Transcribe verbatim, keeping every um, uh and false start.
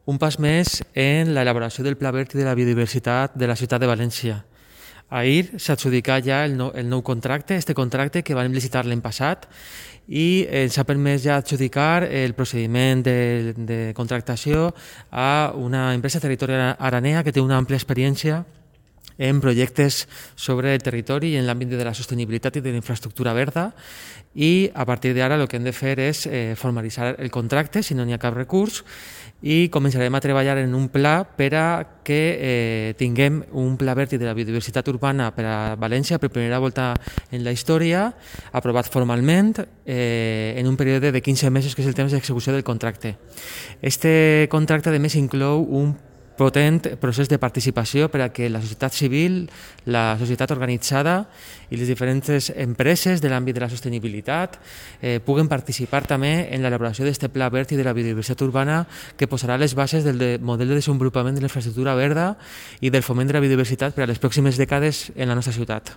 un pas més en l'elaboració del Pla Verd i de la biodiversitat de la ciutat de València. Ahir s'ha adjudicat ja el nou, el nou contracte, este contracte que vam licitar l'any passat, i ens ha permès ja adjudicar el procediment de, de contractació a una empresa territorial aranea que té una àmplia experiència en projectes sobre el territori i en l'àmbit de la sostenibilitat i de la infraestructura verda, i a partir d'ara el que hem de fer és eh, formalitzar el contracte, si no n'hi ha cap recurs, i començarem a treballar en un pla per a que eh, tinguem un pla verd i de la biodiversitat urbana per a València per primera volta en la història, aprovat formalment eh, en un període de quinze mesos, que és el temps d'execució del contracte. Este contracte, a més, inclou un potent procés de participació per a que la societat civil, la societat organitzada i les diferents empreses de l'àmbit de la sostenibilitat eh, puguen participar també en l'elaboració d'aquest pla verd i de la biodiversitat urbana, que posarà les bases del de model de desenvolupament de la infraestructura verda i del foment de la biodiversitat per a les pròximes dècades en la nostra ciutat.